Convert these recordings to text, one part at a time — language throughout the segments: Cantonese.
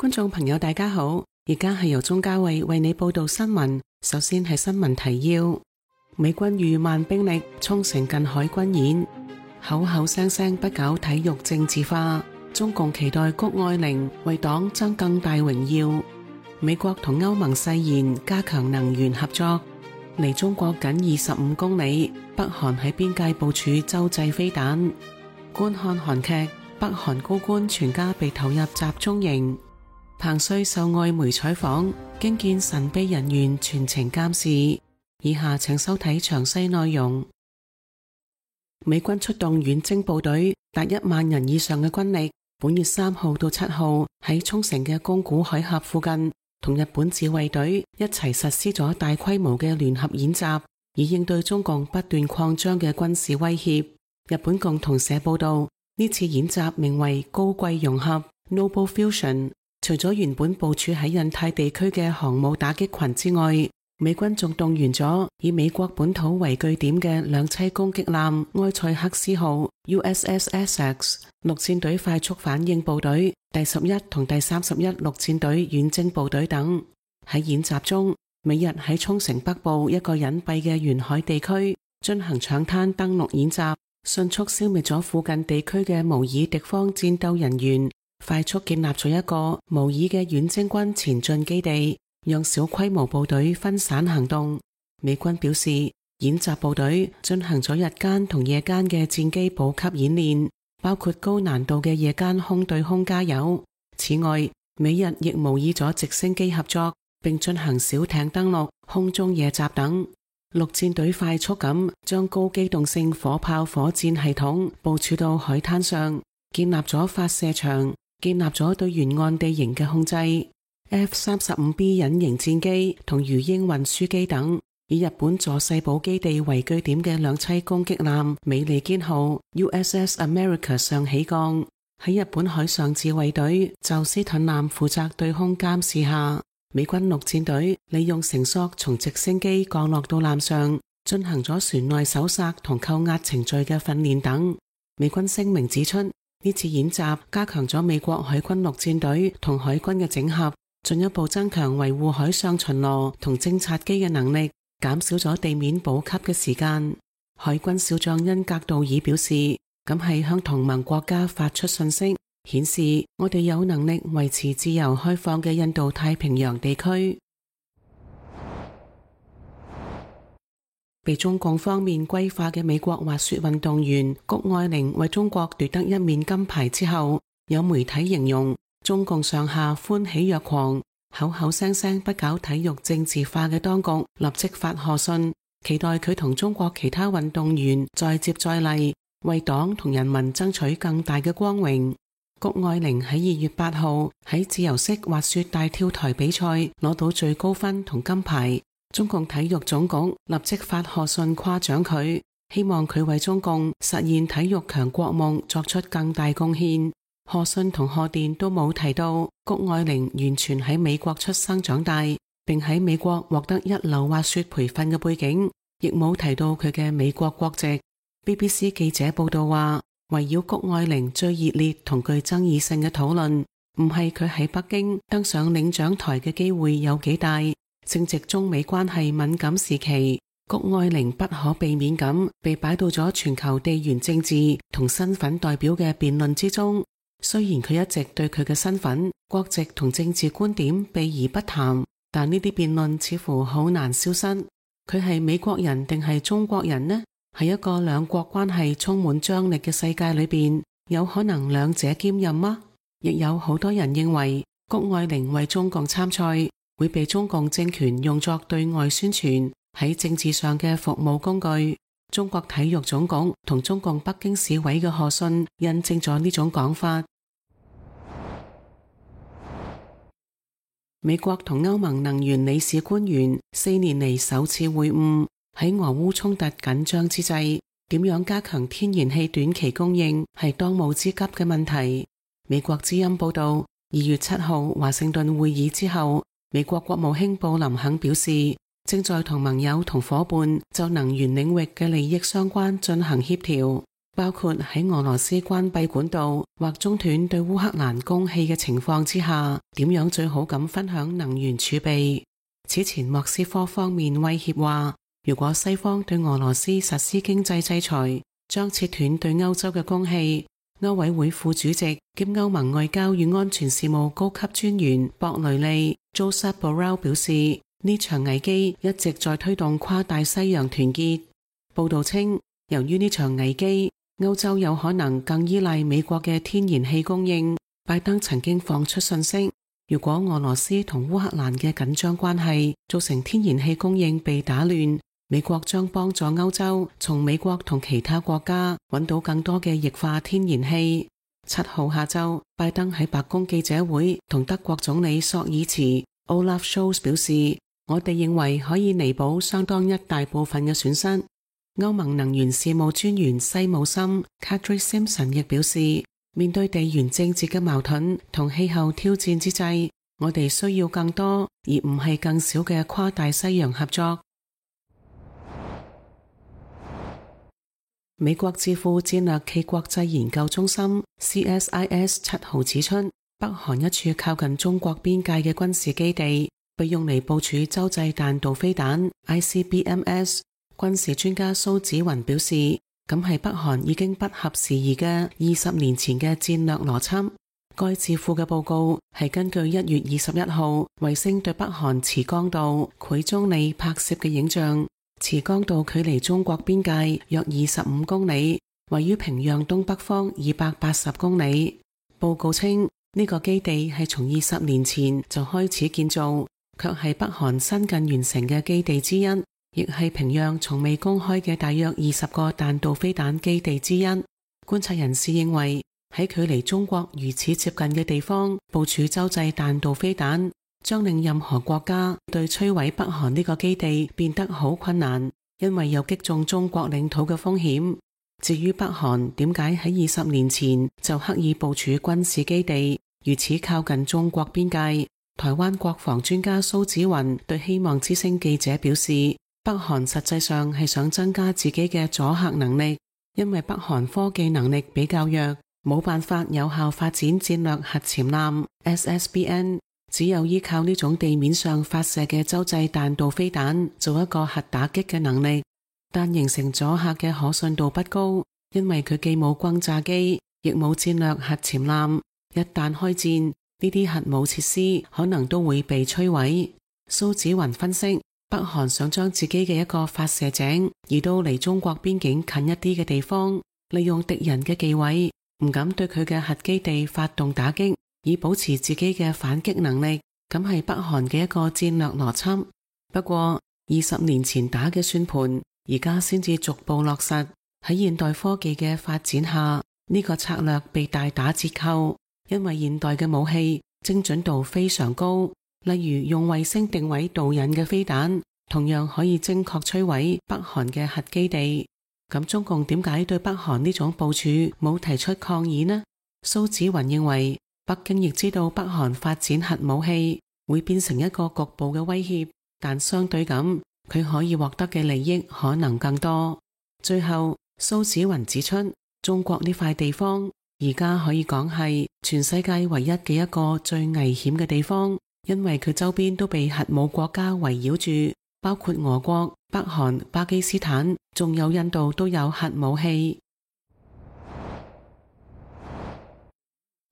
觀眾朋友大家好，而家係由鍾嘉慧為你報道新聞。首先係新聞提要：美軍逾萬兵力衝城近海軍演，口口聲聲不搞體育政治化，中共期待谷愛凌為黨爭更大榮耀。美國同歐盟誓言加強能源合作。離中國僅25公里，北韓喺邊界部署洲際飛彈。觀看韓劇，北韓高官全家被投入集中營。彭帥受外媒採訪，驚見神秘人員全程監視。以下請收睇詳細內容。美軍出動遠征部隊，達1萬人以上嘅軍力，本月3號到7號喺沖繩嘅宮古海峽附近，同日本自衛隊一齊實施咗大規模嘅聯合演習，以應對中共不斷擴張嘅軍事威脅。日本共同社報道，呢次演習名為高貴融合 Noble Fusion。除咗原本部署喺印太地區嘅航母打擊群之外，美軍仲動員咗以美國本土為據點嘅兩棲攻擊艦埃塞克斯號 USS Essex 陸戰隊快速反應部隊、第11同第31陸戰隊遠征部隊等。喺演習中，美日喺沖繩北部一個隱蔽嘅沿海地區進行搶灘登陸演習，迅速消滅咗附近地區嘅模擬敵方戰鬥人員，快速建立咗一個模擬嘅遠征軍前進基地，讓小規模部隊分散行動。美軍表示，演習部隊進行咗日間同夜間嘅戰機補給演練，包括高難度嘅夜間空對空加油。此外，美日亦模擬咗直升機合作，並進行小艇登陸、空中夜襲等。陸戰隊快速咁將高機動性火炮火箭系統部署到海灘上，建立咗發射場，建立咗對沿岸地形嘅控制。F-35B 隱形戰機同魚鷹運輸機等，以日本佐世保基地為據點嘅兩棲攻擊艦美利堅號 USS America 上起降。喺日本海上自衛隊宙斯盾艦負責對空監視下，美軍陸戰隊利用繩索從直升機降落到艦上，進行咗船內搜索同扣押程序嘅訓練等。美軍聲明指出，呢次演習加強咗美國海軍陸戰隊同海軍嘅整合，進一步增強維護海上巡邏同偵察機嘅能力，減少咗地面補給嘅時間。海軍少將恩格道爾表示，咁係向同盟國家發出信息，顯示我哋有能力維持自由開放嘅印度太平洋地區。被中共方面歸化嘅美國滑雪運動員谷愛凌為中國奪得1面金牌之後，有媒體形容中共上下歡喜若狂，口口聲聲不搞體育政治化嘅當局立即發賀信，期待佢同中國其他運動員再接再厲，為黨同人民爭取更大嘅光榮。谷愛凌喺2月8號喺自由式滑雪大跳台比賽攞到最高分同金牌，中共體育總局立即發賀信誇獎佢，希望佢為中共實現體育強國夢作出更大貢獻。賀信同賀電都冇提到谷愛凌完全喺美國出生長大，並喺美國獲得一流滑雪培訓嘅背景，亦冇提到佢嘅美國國籍。BBC 記者報道話，圍繞谷愛凌最熱烈同具爭議性嘅討論，唔係佢喺北京登上領獎台嘅機會有幾大，正值中美關係敏感時期，谷愛凌不可避免咁被擺到咗全球地緣政治同身份代表嘅辯論之中。雖然佢一直對佢嘅身份、國籍同政治觀點避而不談，但呢啲辯論似乎好難消失。佢係美國人定係中國人呢？喺一個兩國關係充滿張力嘅世界裏邊，有可能兩者兼任嗎？亦有好多人認為谷愛凌為中共參賽，會被中共政權用作對外宣傳喺政治上嘅服務工具。中國體育總局同中共北京市委嘅賀信印證咗呢種講法。美國同歐盟能源理事官員4年嚟首次會晤，喺俄烏衝突緊張之際，點樣加強天然氣短期供應係當務之急嘅問題。美國之音報道，2月7號華盛頓會議之後，美國國務卿布林肯表示，正在同盟友同夥伴就能源領域嘅利益相關進行協調。包括喺俄羅斯關閉管道或中斷對烏克蘭供氣嘅情況之下，點樣最好咁分享能源儲備。此前莫斯科方面威脅話，如果西方對俄羅斯實施經濟制裁，將切斷對歐洲嘅供氣。歐委會副主席兼歐盟外交與安全事務高級專員博雷利 Josep Borrell 表示，呢場危機一直在推動跨大西洋團結。報道稱，由於呢場危機，歐洲有可能更依賴美國嘅天然氣供應。拜登曾經放出信息，如果俄羅斯同烏克蘭嘅緊張關係造成天然氣供應被打亂，美國將幫助歐洲從美國同其他國家揾到更多嘅液化天然氣。7號下晝，拜登喺白宮記者會同德國總理朔爾茨 Olaf Scholz 表示，我哋認為可以彌補相當一大部分嘅損失。歐盟能源事務專員西姆森 Kadri Simpson 亦表示，面對地緣政治嘅矛盾同氣候挑戰之際，我哋需要更多而唔係更少嘅跨大西洋合作。美國智庫戰略暨國際研究中心 CSIS 7號指出，北韓一處靠近中國邊界嘅軍事基地被用嚟部署洲際彈道飛彈 ICBMs。軍事專家蘇紫雲表示，咁係北韓已經不合時宜嘅20年前嘅戰略邏輯。該智庫嘅報告係根據1月21號衛星對北韓慈江道繪中里拍攝嘅影像。慈江道距離中國邊界約25公里，位於平壤東北方280公里。報告稱，呢個基地係從20年前就開始建造，卻係北韓新近完成嘅基地之一，亦係平壤從未公開嘅大約20個彈道飛彈基地之一。觀察人士認為，喺距離中國如此接近嘅地方部署洲際彈道飛彈，將令任何國家對摧毀北韓呢個基地變得好困難，因為有擊中中國領土嘅風險。至於北韓點解喺20年前就刻意部署軍事基地，如此靠近中國邊界，台灣國防專家蘇紫雲對希望之聲記者表示，北韓實際上係想增加自己嘅阻嚇能力，因為北韓科技能力比較弱，冇辦法有效發展戰略核潛艦 SSBN。只有依靠呢種地面上發射嘅洲際彈道飛彈做一個核打擊嘅能力，但形成阻嚇嘅可信度不高，因為佢既冇轟炸機，亦冇戰略核潛艦。一旦開戰，呢啲核武設施可能都會被摧毀。蘇紫雲分析，北韓想將自己嘅一個發射井移到離中國邊境近一啲嘅地方，利用敵人嘅忌諱，唔敢對佢嘅核基地發動打擊，以保持自己嘅反擊能力，咁係北韓嘅一個戰略邏輯。不過20年前打嘅算盤，而家先至逐步落實。喺現代科技嘅發展下，呢個策略被大打折扣，因為現代嘅武器精準度非常高，例如用衛星定位導引嘅飛彈，同樣可以精確摧毀北韓嘅核基地。咁中共點解對北韓呢種部署冇提出抗議呢？蘇紫雲認為，北京亦知道北韓發展核武器會變成一個局部嘅威脅，但相對咁，佢可以獲得嘅利益可能更多。最後，蘇紫雲指出，中國呢塊地方而家可以講係全世界唯一嘅一個最危險嘅地方，因為佢周邊都被核武國家圍繞住，包括俄國、北韓、巴基斯坦，仲有印度都有核武器。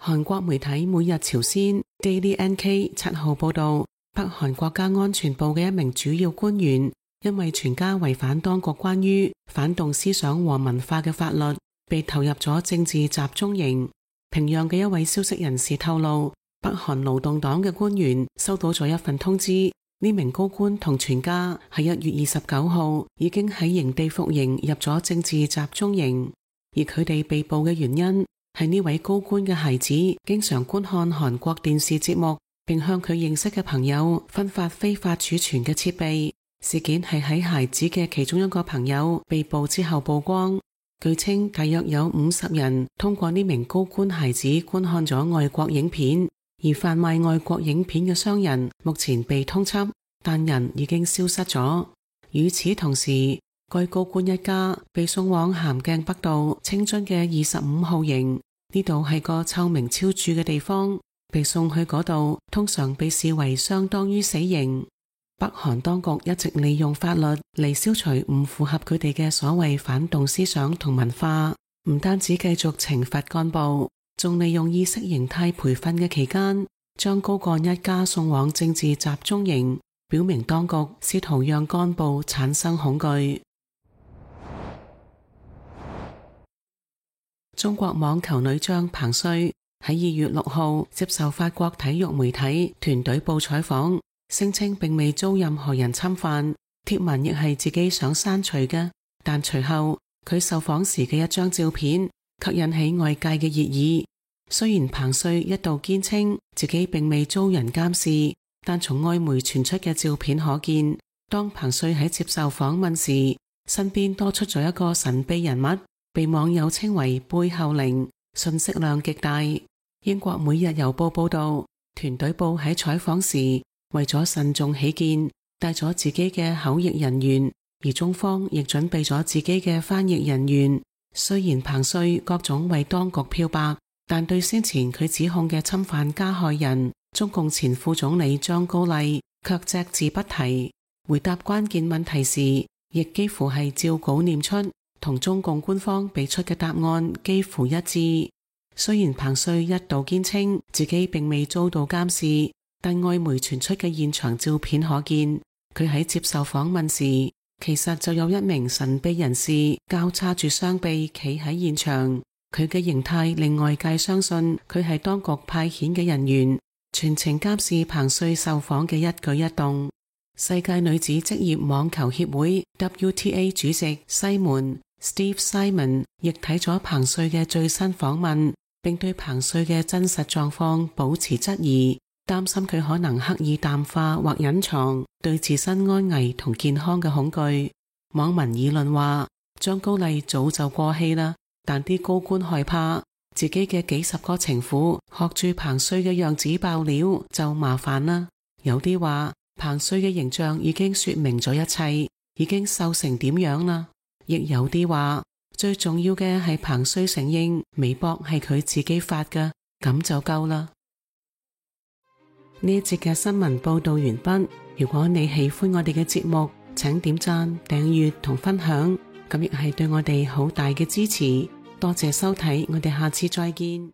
韓國媒體每日朝鮮 Daily NK 7號報道，北韓國家安全部嘅一名主要官員因為全家違反當局關於反動思想和文化嘅法律，被投入咗政治集中營。平壤嘅一位消息人士透露，北韓勞動黨嘅官員收到咗一份通知，呢名高官同全家喺1月29號已經喺營地服刑入咗政治集中營，而佢哋被捕嘅原因係呢位高官嘅孩子經常觀看韓國電視節目，並向佢認識嘅朋友分發非法儲存嘅設備。事件係喺孩子嘅其中一個朋友被捕之後曝光。據稱，大約有50人通過呢名高官孩子觀看咗外國影片，而販賣外國影片嘅商人目前被通緝，但人已經消失咗。與此同時，該高官一家被送往咸鏡北道清津嘅25號營，呢度係個臭名昭著嘅地方，被送去嗰度通常被視為相當於死刑。北韓當局一直利用法律嚟消除唔符合佢哋嘅所謂反動思想同文化，唔單止繼續懲罰幹部，仲利用意識形態培訓嘅期間，將高幹一家送往政治集中營，表明當局試圖讓幹部產生恐懼。中國網球女將彭帥喺2月6號接受法國體育媒體團隊報採訪，聲稱並未遭任何人侵犯，貼文亦係自己想刪除嘅。但隨後佢受訪時嘅一張照片卻引起外界嘅熱議。雖然彭帥一度堅稱自己並未遭人監視，但從外媒傳出嘅照片可見，當彭帥喺接受訪問時，身邊多出咗一個神秘人物，被網友稱為背後靈，信息量極大。英國每日郵報報道，團隊部喺採訪時為咗慎重起見，帶咗自己嘅口譯人員，而中方亦準備咗自己嘅翻譯人員。雖然彭帥各種為當局漂白，但對先前佢指控嘅侵犯加害人中共前副總理張高麗卻隻字不提，回答關鍵問題時亦幾乎係照稿念出，同中共官方俾出嘅答案幾乎一致。雖然彭帥一度堅稱自己並未遭到監視，但外媒傳出嘅現場照片可見，佢喺接受訪問時，其實就有一名神秘人士交叉住雙臂企喺現場。佢嘅形態令外界相信佢係當局派遣嘅人員，全程監視彭帥受訪嘅一舉一動。世界女子職業網球協會 WTA 主席西門 Steve Simon 亦睇咗彭帥嘅最新訪問，並對彭帥嘅真實狀況保持質疑，擔心佢可能刻意淡化或隱藏對自身安危同健康嘅恐懼。網民議論話，張高麗早就過氣啦，但啲高官害怕自己嘅幾十個情婦學住彭帥嘅樣子爆料就麻煩啦。有啲話彭帥嘅形象已經說明咗一切，已經瘦成點樣啦。亦有啲話最重要嘅係彭帥承認微博係佢自己發嘅，咁就夠啦。呢一節嘅新聞報道完畢。如果你喜歡我哋嘅節目，請點讚、訂閱同分享，咁亦係對我哋好大嘅支持。多謝收睇，我哋下次再見。